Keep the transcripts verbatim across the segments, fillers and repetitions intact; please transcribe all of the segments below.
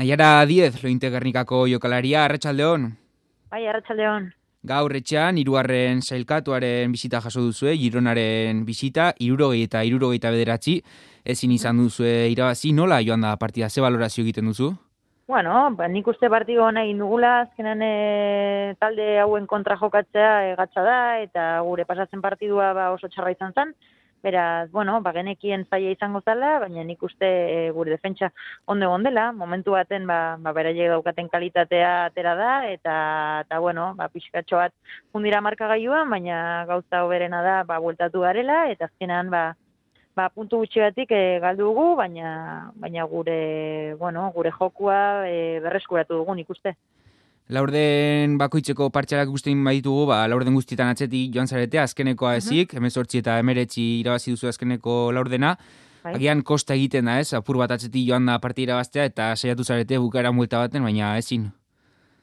Naiara Diez, Lointe Gernikako jokalaria, arratsaldeon. Bai, arratsaldeon. Gaur etxean, hirugarren sailkatuaren bisita jaso duzue, Gironaren bisita, hirurogei eta hirurogeita bederatzi, ezin izan duzue irabazi, nola joan da partida, ze balorazio egiten duzu? Bueno, ba, nik uste partido hona egin dugula, azkenan e, talde hauen kontra jokatzea e, gatza da, eta gure pasatzen partidua ba, oso txarra izan zen. Beraz, bueno, ba, genekien zaila izango zala, baina nik uste e, gure defentsa ondo egon dela, momentu baten ba, ba, beraiek daukaten kalitatea atera da, eta, eta bueno, ba, pixkatxo bat fundira markagailuan, baina gauza hoberena da ba, bueltatu garela, eta azkenan ba, ba, puntu gutxigatik e, galdu dugu, baina, baina gure, bueno, gure jokua e, berreskuratu dugu nik uste. Laurden bakoitzeko partxalak guztien baditugu, ba, laurden guztietan atzetik joan zarete, azkenekoa ezik, hemezortzi eta emeretzi irabazi duzu azkeneko laurdena. Bai. Agian kosta egiten da, ez? Apur bat atzetik joan da partida irabaztea eta saiatu zarete bukaera multa baten, baina ezin.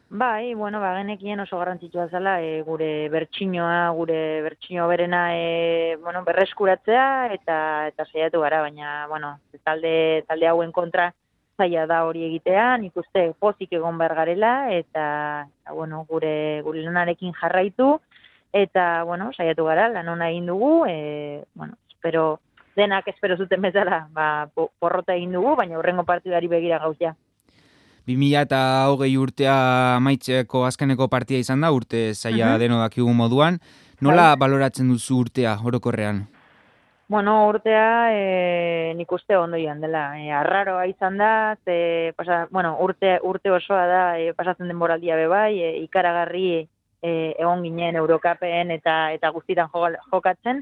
Bai, bueno, ba, genekien oso garrantzitsua zela e, gure bertsinoa, gure bertsino berena e, bueno, berreskuratzea eta eta saiatu gara, baina bueno, talde talde hauen kontra zaila da hori egitea, nik uste pozik egon behar garela, eta, eta bueno, gure, gure lanarekin jarraitu, eta, bueno, saiatu gara, lan ona egin dugu, e, bueno, espero, denak espero zuten bezala, ba, porrota egin dugu, baina hurrengo partidari begira gauzia. bi mila eta hogei urtea amaitzeko azkeneko partida izan da, urte zaila Mhm. deno dakigu moduan. Nola baloratzen duzu urtea, orokorrean? Bueno, urtea e, nik uste ondo joan dela. E, arraroa izan da, ze, pasa, bueno, urte, urte osoa da e, pasatzen denboraldia be bai, e, ikaragarri e, egon ginen Eurokapen eta eta guztitan jokatzen,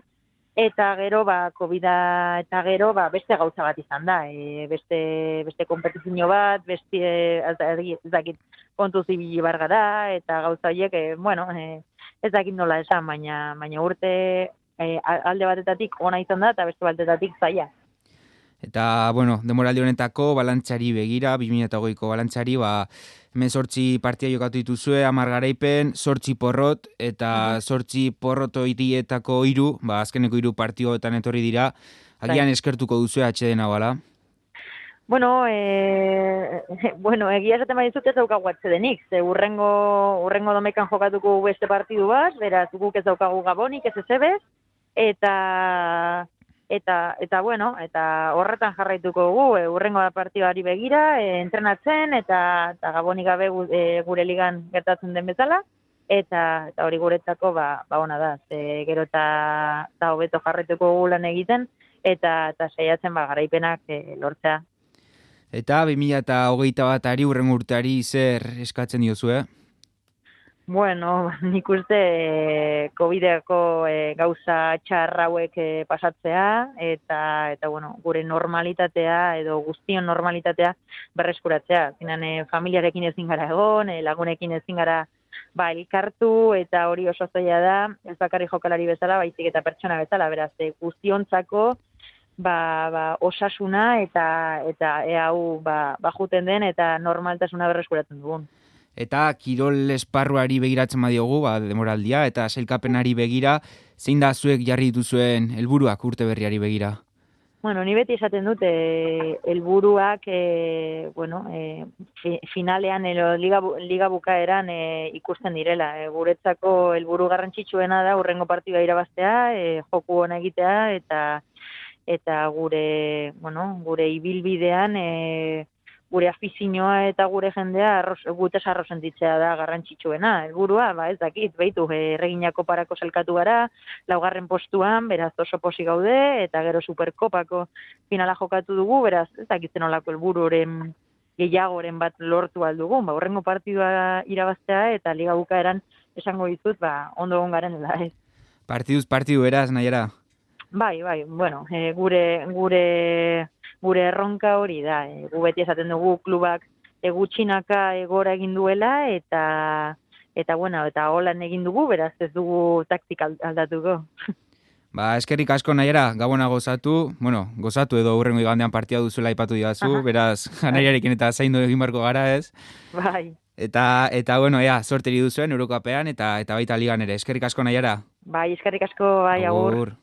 eta gero ba Covida eta gero ba beste gauza bat izan da, e, beste beste konpetizio bat, beste ez dakit kontu zibili bar gara eta gauza horiek e, bueno, e, ez dakit nola esan, baina baina urte E, alde batetatik ona izan da eta beste batetatik zaila. Eta, bueno, demoraldi honetako balantzari begira, bi mila eta hogeiko balantzari, ba, hemen sortzi partia jokatu dituzue, hamar garaipen, sortzi porrot, eta sortzi porroto irietako hiru, ba, azkeneko hiru partioetan etorri dira, agian eskertuko duzue atxedena bala? Bueno, e, bueno, egia esaten badizut ez daukagu atxedenik, ze urrengo, urrengo domekan jokatuko beste partidu bat, beraz guk ez daukagu gabonik, ez ezebez, eta eta eta bueno, eta horretan jarraituko dugu, e, urrengo partidari begira, e, entrenatzen eta eta gabonik gabe e, gure ligan gertatzen den bezala, eta eta hori guretzako ba ba ona da. Ze gero eta ta hobeto jarraituko dugu lan egiten eta eta saiatzen ba garaipenak e, lortzea. Eta bi mila eta hogeita batari urrengo urteari zer eskatzen diozue? Bueno, nik uste e, Covideko e, gauza txar hauek e, pasatzea eta eta bueno, gure normalitatea edo guztion normalitatea berreskuratzea. Zinan e, familiarekin ezin gara egon, e, lagunekin ezin gara ba elkartu eta hori oso zaila da, ez bakarrik jokalari bezala, baizik eta pertsona bezala, beraz e, guztiontzako ba, ba, osasuna eta eta e hau ba, ba juten den eta normaltasuna berreskuratzen dugun. Eta kirol esparruari begiratzen badiogu, ba, demoraldia, eta sailkapenari begira, zein da zuek jarri dituzuen helburuak urte berriari begira? Bueno, ni beti esaten dut, e, helburuak e, bueno, e, fi, finalean edo liga, liga bukaeran e, ikusten direla. E, guretzako helburu garrantzitsuena da urrengo partida irabaztea, e, joku ona egitea, eta eta gure, bueno, gure ibilbidean e, gure afizioa eta gure jendea arroz, gutez arro sentitzea da garrantzitsuena. Helburua, ba ez dakit, beitu, erreginako parako zelkatu gara, laugarren postuan, beraz oso posi gaude, eta gero superkopako finala jokatu dugu, beraz ez dakit zenolako helbururen gehiagoren bat lortu aldugun, ba horrengo partidua irabaztea eta liga bukaeran esango ditut, ba ondo egon garela ez. Partiduz partidu eraz, Naiara? Bai, bai, bueno, e, gure gure gure erronka hori da. E, gu beti esaten dugu klubak e, gutxinaka egora egin duela eta eta bueno, eta holan egin dugu, beraz ez dugu taktika aldatuko. Ba, eskerrik asko Naiara, gabona gozatu, bueno, gozatu edo hurrengo igandean partia duzuela aipatu didazu, beraz Naiarekin eta zaindu egin barko gara ez. Bai. Eta, eta bueno, ea, sorteri duzuen Eurokapean eta eta baita ligan ere. Eskerrik asko Naiara. Bai, eskerrik asko, bai, agur.